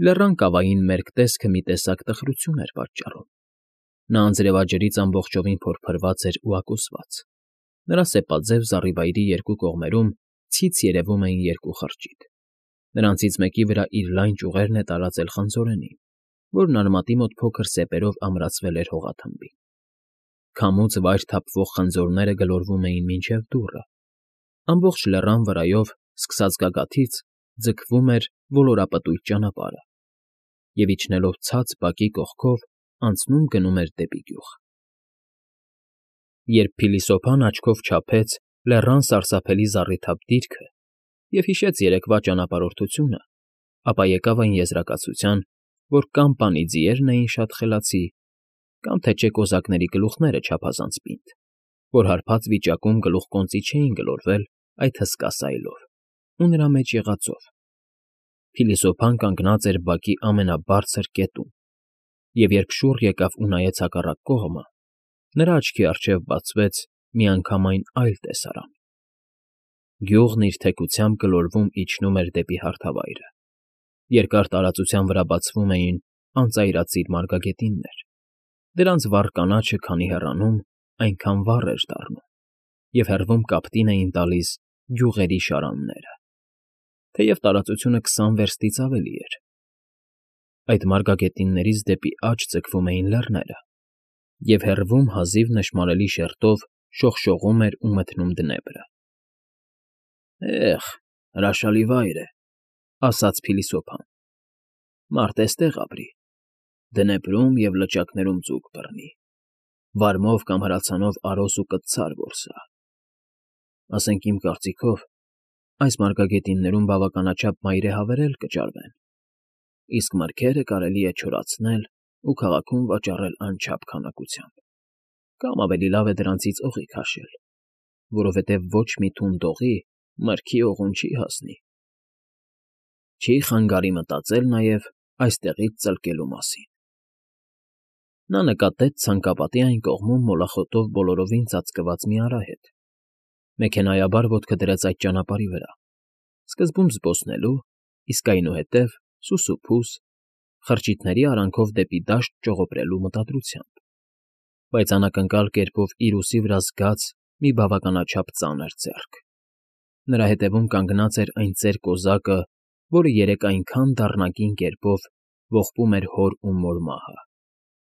Լեռան կավային մերկ տեսքը մի տեսակ տխրություն էր պատճառում. նա անձրևաջրից ամբողջովին փորփրված էր ու ակուսված, նրա սեպաձև զառիվայրի երկու կողմերում ցից երևում էին երկու խրճիթ, նրանցից մեկի վրա իր լայն ճյուղերն է տարածել խանձորենին, որն արմատի մոտ փոքր սեպերով ամրացվել էր հողաթմբին. քամուց վայր թափվող խնձորները գլորվում էին մինչև դուռը, ամբողջ լեռան վրայով, սկսած գագաթից, ձգվում էր ոլորապտույտ ճանապարհը, և իջնելով ցած բակի կողքով անցնում գնում էր դեպի գյուղ։ Երբ փիլիսոփան աչքով չափեց լեռան սարսափելի զառիթափ դիրքը և հիշեց երեկվա ճանապարհորդությունը, ապա եկավ այն եզրակացության, որ կամ պանի ձիերն էին շատ խելացի, կամ թե չէ կոզակների գլուխները չափազանց պինդ, որ հարբած վիճակում գլուխկոնծի չէին գլորվել այդ հսկա սայլով ու նրա մեջ եղածով։ Փիլիսոփան կանգնած էր բակի ամենաբարձր կետում, և երբ շուռ եկավ ու նայեց հակառակ կողմը, նրա աչքի առջև բացվեց միանգամայն այլ տեսարան. գյուղն իր թեքությամբ գլորվում֊իջնում էր դեպի հարթավայրը, երկար տարածության վրա բացվում էին անծայրածիր մարգագետիններ, դրանց վառ կանաչը քանի հեռանում, այնքան վառ էր դառնում, և հեռվում կապտին էին տալիս գյուղերի շարանները, թեև տարածությունը 20 վերստից ավելի էր։ Այդ մարգագետիններից դեպի աջ ձգվում էին լեռները, և հեռվում հազիվ նշմարելի շերտով շողշողում էր ու մթնում Դնեպրը։ «Էհ, հրաշալի վայր է,֊ ասաց փիլիսոփան,֊ մարդ էստեղ ապրի, Դնեպրում և լճակներում ձուկ բռնի, վարմով կամ հրացանով արոս ու կտցար որսա։ Ասենք իմ կարծիքով, այս մարգագետիններում բավականաչափ մայրեհավեր էլ կճարվեն, իսկ մրգերը կարելի է չորացնել ու քաղաքում վաճառել անչափ քանակությամբ, կամ ավելի լավ է դրանցից օղի քաշել, որովհետև ոչ մի թունդ օղի մրգի օղուն չի հասնի։ Չի խանգարի մտածել նաև այստեղից ծլկելու մասին»։ Նա նկատեց ցանկապատի այն կողմում մոլախոտով բոլորովին ծածկված մի արահետ, մեքենայաբար ոտքը դրեց այդ ճանապարհի վրա, սկզբում զբոսնելու, իսկ այնուհետև սուսուփուս, խրճիթների արանքով դեպի դաշտ ճողոպրելու մտադրությամբ, բայց անակնկալ կերպով իր ուսի վրա զգաց մի բավականաչափ ծանր ձեռք. նրա հետևում կանգնած էր այն ծեր կոզակը, որը երեկ այնքան դառնակին կերպով ողբում էր հոր ու մոր մահը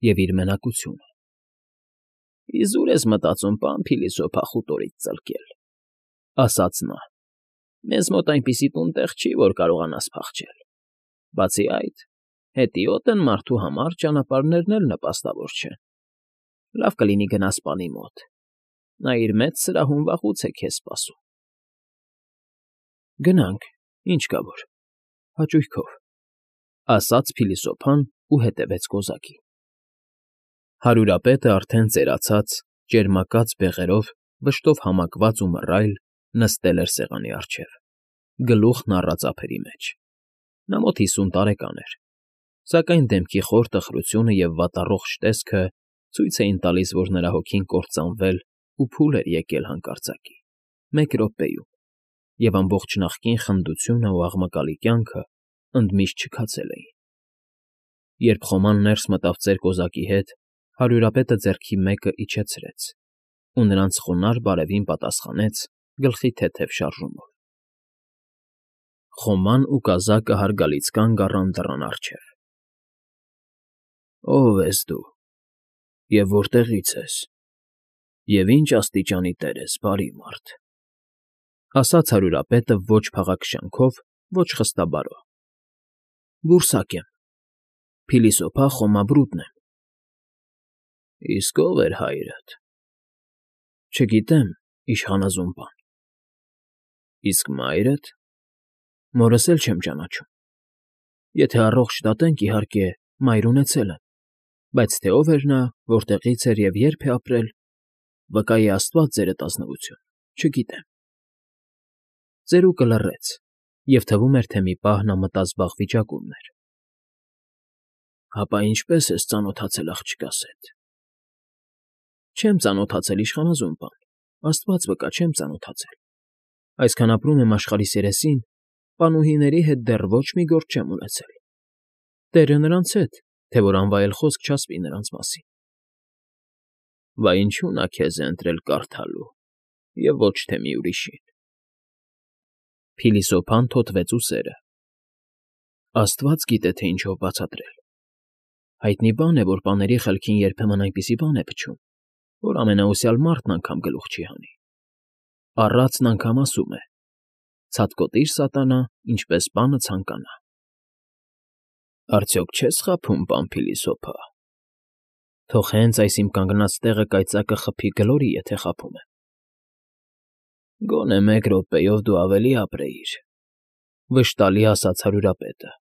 և իր մենակությունը։ «Իզուր ես մտածում պան փիլիսոփա խուտորից ծլկել,֊ ասաց նա,֊ մեզ մոտ այնպիսի տուն֊տեղ չի, որ կարողանաս փախչել, բացի այդ, հետիոտ են մարդու համար ճանապարհներն էլ նպաստավոր չեն։ Լավ կլինի գնաս պանի մոտ, նա իր մեծ սրահում վաղուց է քեզ սպասում»։ «Գնանք, ինչ կա որ, հաճույքով,֊ ասաց փիլիսոփան ու հետևեց կոզակին։ Հարյուրապետը արդեն ծերացած, ճերմակած բեղերով, վշտով համակված ու մռայլ նստել էր սեղանի առջև, գլուխն առած ափերի մեջ։ Նա մոտ 50 տարեկան էր, սակայն դեմքի խոր տխրությունը և վատառողջ տեսքը ցույց էին տալիս, որ նրա հոգին կործանվել ու փուլ էր եկել հանկարծակի, մեկ րոպեում, և ամբողջ նախկին խնդությունն ու աղմկալի կյանքը ընդմիշտ չքացել էին։ Երբ խոման ներս մտավ ծեր կոզակի հետ, հարյուրապետը ձեռքի մեկը իջեցրեց ու նրանց խոնարհ բարևին պատասխանեց գլխի թեթև շարժումով։ Խոման ու կազակը հարգալից կանգ առան դռան առջև։ «Ո՞վ ես դու, և որտեղի՞ց ես, և ի՞նչ աստիճանի տեր ես, բարի մարդ,֊ ասաց հարյուրապետը ոչ փաղաքշանքով, ոչ խստաբարո։ «Բուրսակ եմ, փիլիսոփա Խոմա Բրուտն եմ»։ «Իսկ ո՞վ էր հայրդ»։ «Չգիտեմ, իշխանազուն պան»։ «Իսկ մա՞յրդ»։ «Մորս էլ չեմ ճանաչում։ Եթե առողջ դատենք, իհարկե, մայր ունեցել եմ, բայց թե ով էր նա, որտեղից էր և երբ է ապրել, վկայի աստված ձերդ ազնվություն, չգիտեմ»։ Ծերուկը լռեց, և թվում էր, թե մի պահ նա մտազբաղ վիճակում էր։ «Հապա ինչպե՞ս ես ծանոթացել աղջկաս հետ»։ «Չեմ ծանոթացել, իշխանազուն պան, աստված վկա, չեմ ծանոթացել։ Այսքան ապրում եմ աշխարհիս երեսին, պանուհիների հետ դեռ ոչ մի գործ չեմ ունեցել»։ Տերը նրանց հետ, թե որ անվայել խոսք չասվի նրանց մասին։ Բա ինչու նա քեզ է ընտրել կարդալու, և ոչ թե մի ուրիշին։ Փիլիսոփան թոթվեց ուսերը։ Աստված գիտե, թե ինչով բացատրել։ Հայտնի բան է, որ պաների խելքին երբեմն այնպիսի բան է փչում, որ ամենաուսյալ մարդն անգամ գլուխ չի հանի։ Առածն անգամ ասում է. «Ցատկոտիր, սատանա, ինչպես պանը ցանկանա»։ Արդյոք չես խաբում, պան Փիլիսոփա։ Թող հենց այս իմ կանգնած տեղը կայծակը խփի գլորի, եթե խաբում եմ։ Գոնե 1 րոպեով դու ավելի ապրեիր, վշտալի ասաց հարյուրապետը,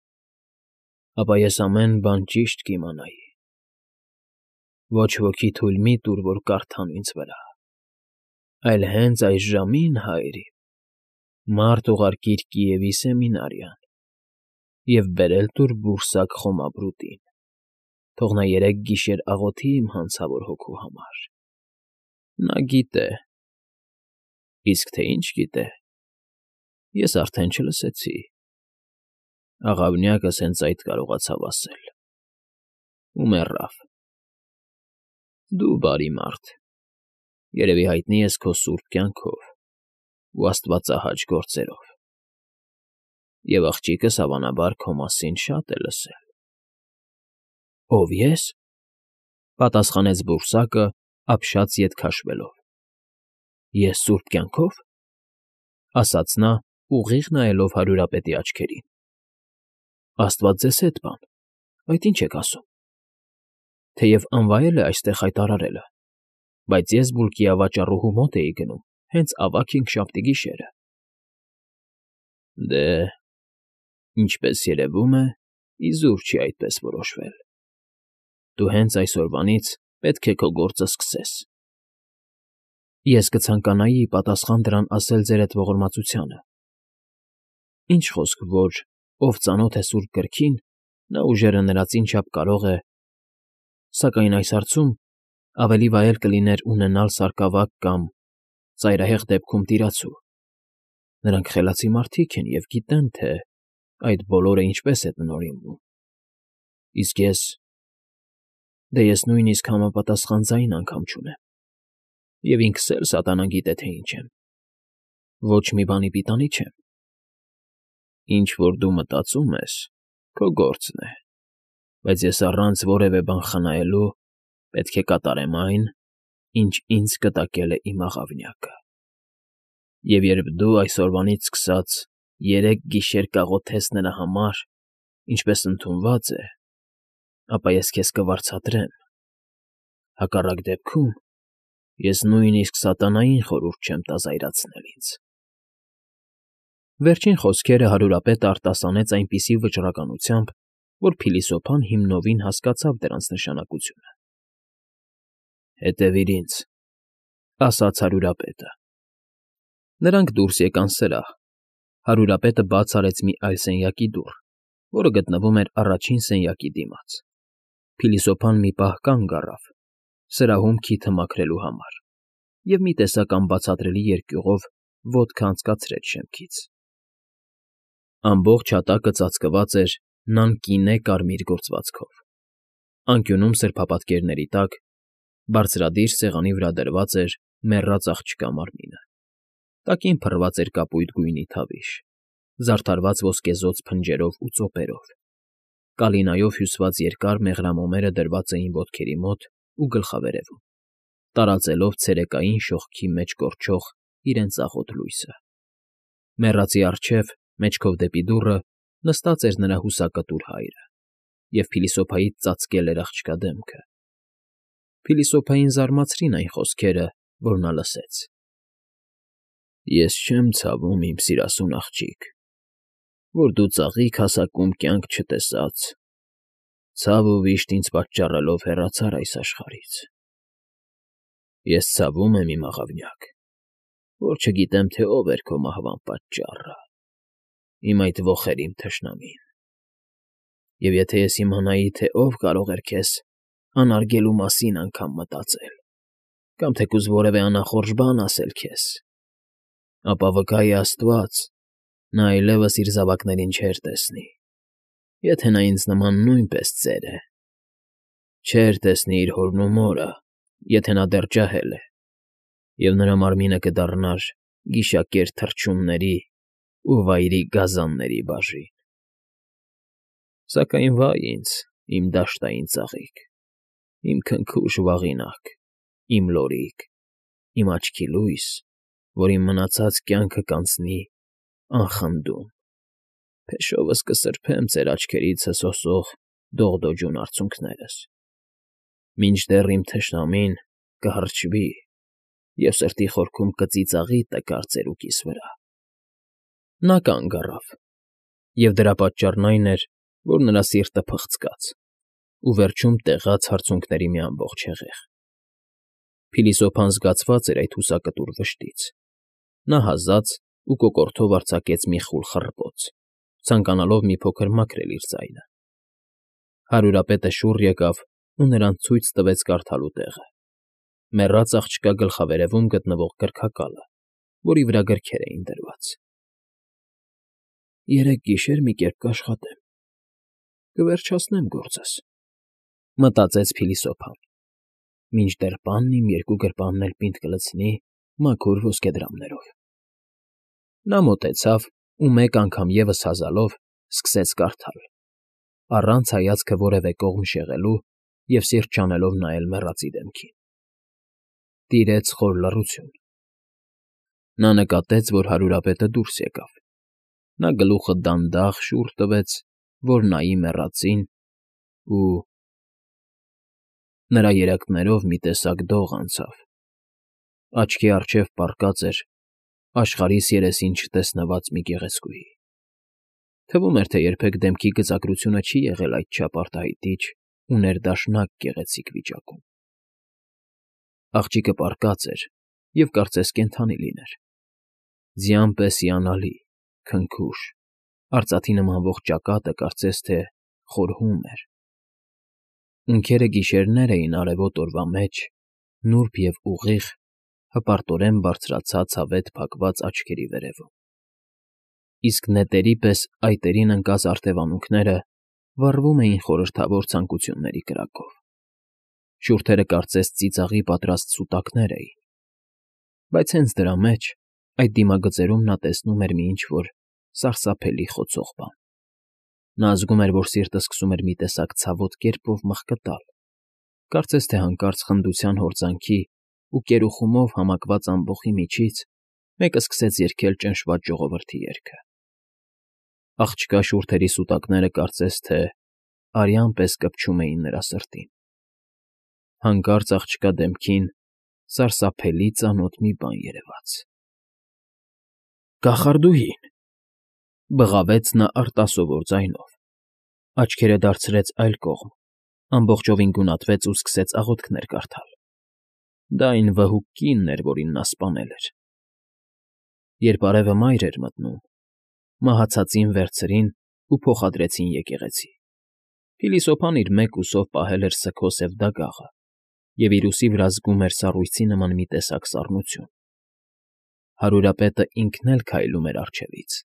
ապա ես ամեն բան ճիշտ կիմանայի։ Ոչ ոքի թույլ մի տուր, որ կարդան ինձ վրա, այլ հենց այս ժամին, հայրիկ, մարդ ուղարկիր Կիևի սեմինարիան և բերել տուր բուրսակ Խոմաբրուտին, թող նա 3 գիշեր աղոթի իմ հանցավոր հոգու համար։ Նա գիտե։ Իսկ թե ինչ գիտե, ես արդեն չլսեցի։ Աղավնյակս հենց այդ կարողացավ ասել։ Ու մեռավ։ Դու բարի մարդ, երևի հայտնի ես քո սուրբ կյանքով ու աստվածահաճ գործերով, և աղջիկս հավանաբար քո մասին շատ է լսել։ Ո՞վ ես,֊ պատասխանեց բուրսակը, ապշած ետ քաշվելով։ Ես սուրբ կյանքո՞վ,֊ ասաց նա, ուղիղ նայելով հարյուրապետի աչքերին։ Աստված ձեզ հետ, պան, այդ ինչ եք ասում։ Թեև անվայել է այստեղ հայտարարելը, բայց ես բուլկի ավաճառուհու մոտ էի գնում, հենց ավագ հինգշաբթի գիշերը։ Դե, ինչպես երևում է, իզուր չի այդպես որոշվել։ Դու հենց այսօրվանից պետք է քո գործը սկսես։ Ես կցանկանայի ի պատասխան դրան ասել ձեր այդ ողորմածությանը. Ինչ խոսք, որ ով ծանոթ է սուրբ գրքին, նա ուժերը նրածին չափ կարող է, սակայն այս հարցում ավելի վայել կլիներ ունենալ սարկավակ կամ ծայրահեղ դեպքում տիրացու։ Նրանք խելացի մարդիկ են և գիտեն, թե այդ բոլորը ինչպես է տնօրինվում։ Իսկ ես նույնիսկ համապատասխան ձայն անգամ չունեմ, և ինքս էլ սատանան գիտե, թե ինչ եմ։ Ոչ մի բանի պիտանի չեմ։ Ինչ որ դու մտածում ես, քո գործն է, բայց ես առանց որևէ բան խնայելու պետք է կատարեմ այն, ինչ ինձ կտակել է իմ աղավնյակը։ Եվ երբ դու այսօրվանից սկսած 3 գիշեր կաղոթես նրա համար, ինչպես ընդունված է, ապա ես քեզ կվարձատրեմ։ Հակառակ դեպքում ես նույնիսկ սատանային խորհուրդ չեմ տա զայրացնել ինձ։ Վերջին խոսքերը հարյուրապետը արտասանեց այնպիսի վճռականությամբ, որ Փիլիսոփան հիմնովին հասկացավ դրանց նշանակությունը։ Հետևիր ինձ,֊ ասաց հարյուրապետը։ Նրանք դուրս եկան սրահ։ Հարյուրապետը բաց արեց մի այլ սենյակի դուռ, որը գտնվում էր առաջին սենյակի դիմաց։ Փիլիսոփան մի պահ կանգ առավ, սրահում քիթը մաքրելու համար, և մի տեսակ անբացատրելի երկյուղով ոտքը անցկացրեց շեմքից։ Ամբողջ հատակը ծածկված էր նան կինե կարմիր գործվածքով։ Անկյունում սրբապատկերների տակ, բարձրադիր սեղանի վրա դրված էր մեռած աղջկա մարմինը։ Տակին փռված էր կապույտ գույնի թավիշ, զարդարված ոսկեզօծ փնջերով ու ծոպերով։ Կալինայով հյուսված երկար մեղրամոմերը դրված էին ոտքերի մոտ ու գլխավերևում, տարածելով ցերեկային շողքի մեջ կորչող իրենց աղոտ լույսը։ Մեռածի առջև, մեջքով դեպի դուռը, նստած էր նրա հուսակտուր հայրը, և փիլիսոփայից ծածկել էր աղջկա դեմքը։ Փիլիսոփային զարմացրին այն խոսքերը, որ նա լսեց։ Ես չեմ ցավում, իմ սիրասուն աղջիկ, որ դու ծաղիկ հասակում կյանք չտեսած, ցավ ու վիշտ ինձ պատճառելով հեռացար այս աշխարհից։ Ես ցավում եմ, իմ աղավնյակ, որ չգիտեմ, թե ով էր քո մահվան պատճառը, իմ այդ ոխերիմ թշնամին։ Եվ եթե ես իմանայի, թե ով կարող էր քեզ անարգելու մասին անգամ մտածել, կամ թեկուզ որևէ անախորժ բան ասել քեզ, ապա վկա է Աստված, նա այլևս իր զավակներին չէր տեսնի, Եթե նա ինձ նման նույնպես ծեր է, չէր տեսնի իր հորն ու մորը, եթե նա դեռ ջահել է, և նրա մարմինը կդառնար գիշակեր թռչունների ու վայրի գազանների բաժին։ Սակայն վա՜յ ինձ, իմ դաշտային ծաղիկ, իմ քնքուշ վաղինակ, իմ լորիկ, իմ աչքի լույս, որ իմ մնացած կյանքը կանցնի անխնդում, փեշովս կսրբեմ ծեր աչքերից հսոսող դողդոջուն արցունքներս, մինչդեռ իմ թշնամին կհռչվի և սրտի խորքում կծիծաղի տկար ծերուկիս վրա։ Նա կանգ առավ, և դրա պատճառն այն էր, որ նրա սիրտը փխցկաց ու վերջում տեղաց հարցունքների մի ամբողջ հեղեղ։ Փիլիսոփան զգացված էր այդ հուսակտուր վշտից։ Նա հազաց ու կոկորդով արձակեց մի խուլ խռպոց, ցանկանալով մի փոքր մաքրել իր ձայնը։ Հարուրապետը շուռ եկավ ու նրան ցույց տվեց կարդալու տեղը՝ մեռած աղջկա գլխավերևում գտնվող գրքակալը, որի վրա գրքեր էին դրված։ «Երեկ գիշեր մի կերպ կաշխատեմ, կվերջացնեմ գործս», մտածեց փիլիսոփան, «մինչդեռ պանն իմ երկու գրպանն էլ պինդ կլցնի մաքուր ոսկեդրամներով»։ Նա մոտեցավ ու մեկ անգամ ևս հազալով սկսեց կարդալ, առանց հայացքը որևէ կողմ շեղելու և սիրտ չանելով նայել մեռածի դեմքին։ Տիրեց խոր լռություն։ Նա նկատեց, որ հարուրապետը դուրս եկավ։ Նա գլուխը դանդաղ շուռ տվեց, որ նայի մեռածին, ու… նրա երակներով մի տեսակ դող անցավ։ Աչքի առջև պառկած էր աշխարհիս երեսին չտեսնված մի գեղեցկուհի։ Թվում էր, թե երբեք դեմքի գծագրությունը չի եղել այդչափ արտահայտիչ ու ներդաշնակ գեղեցիկ վիճակում։ Աղջիկը պառկած էր և կարծես կենդանի լիներ։ Ձյան պես հիանալի, քնքուշ, արծաթի նման ողջ ճակատը կարծես թե խորհում էր։ Ունքերը գիշերներ էին արևոտ օրվա մեջ, նուրբ և ուղիղ, հպարտորեն բարձրացած հավետ փակված աչքերի վերևում, իսկ նետերի պես այտերին ընկած արտևանունքները վառվում էին խորհրդավոր ցանկությունների կրակով։ Շուրթերը կարծես ծիծաղի պատրաստ սուտակներ էին։ Բայց հենց դրա մեջ, այդ դիմագծերում նա տեսնում էր մի ինչ֊որ սարսափելի խոցող բան։ Նա զգում էր, որ սիրտը սկսում էր մի տեսակ ցավոտ կերպով մղկտալ, կարծես թե հանկարծ խնդության հորձանքի ու կերուխումով համակված ամբոխի միջից մեկը սկսեց երգել ճնշված ժողովրդի երգը։ Աղջկա շուրթերի սուտակները կարծես թե արյան պես կպչում էին նրա սրտին։ Հանկարծ աղջկա դեմքին սարսափելի ծանոթ մի բան երևաց։ «Կախարդուհին», բղավեց նա արտասովոր ձայնով, աչքերը դարձրեց այլ կողմ, ամբողջովին գունատվեց ու սկսեց աղոթքներ կարդալ։ Դա այն վհուկ կինն էր, որին նա սպանել էր։ Երբ արևը մայր էր մտնում, մահացածին վերցրին ու փոխադրեցին եկեղեցի։ Փիլիսոփան իր մեկ ուսով պահել էր սգո սև դագաղը և իր ուսի վրա զգում էր սառույցի նման մի տեսակ սառնություն։ Հարուրապետը ինքն էլ քայլում էր առջևից,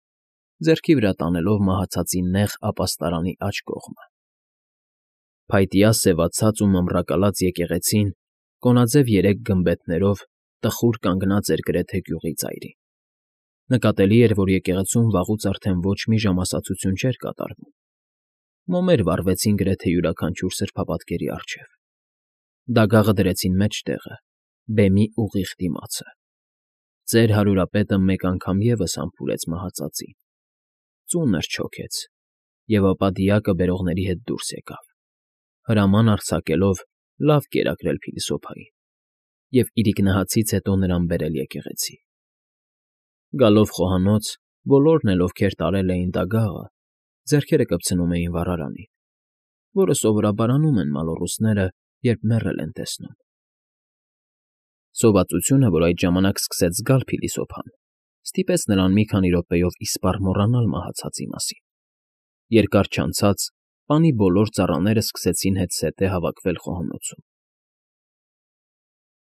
ձեռքի վրա տանելով մահացածի նեղ ապաստարանի աջ կողմը։ Փայտյա սևացած ու մամռակալած եկեղեցին կոնաձև երեք գմբեթներով տխուր կանգնած էր գրեթե գյուղի ծայրին։ Նկատելի էր, որ եկեղեցում վաղուց արդեն ոչ մի ժամասացություն չէր կատարվում։ Մոմեր վառվեցին գրեթե յուրաքանչյուր սրբապատկերի առջև։ Դագաղը դրեցին մեջտեղը, բեմի ուղիղ դիմացը։ Ծեր հարուրապետը մեկ անգամ ևս համբուրեց մահացածին, ծունր չոքեց և ապա դիակը բերողների հետ դուրս եկավ, հրաման արձակելով լավ կերակրել փիլիսոփային և իրիկնահացից հետո նրան բերել եկեղեցի։ Գալով խոհանոց, բոլորն էլ, ովքեր տարել էին դագաղը, ձեռքերը կպցնում էին վառարանին, որը սովորաբար անում են մալոռուսները, երբ մեռել են տեսնում։ Սովածությունը, որ այդ ժամանակ սկսեց զգալ փիլիսոփան, ստիպեց նրան մի քանի րոպեով իսպառ մոռանալ մահացածի մասին։ Երկար չանցած պանի բոլոր ծառաները սկսեցին հետզհետե հավաքվել խոհանոցում։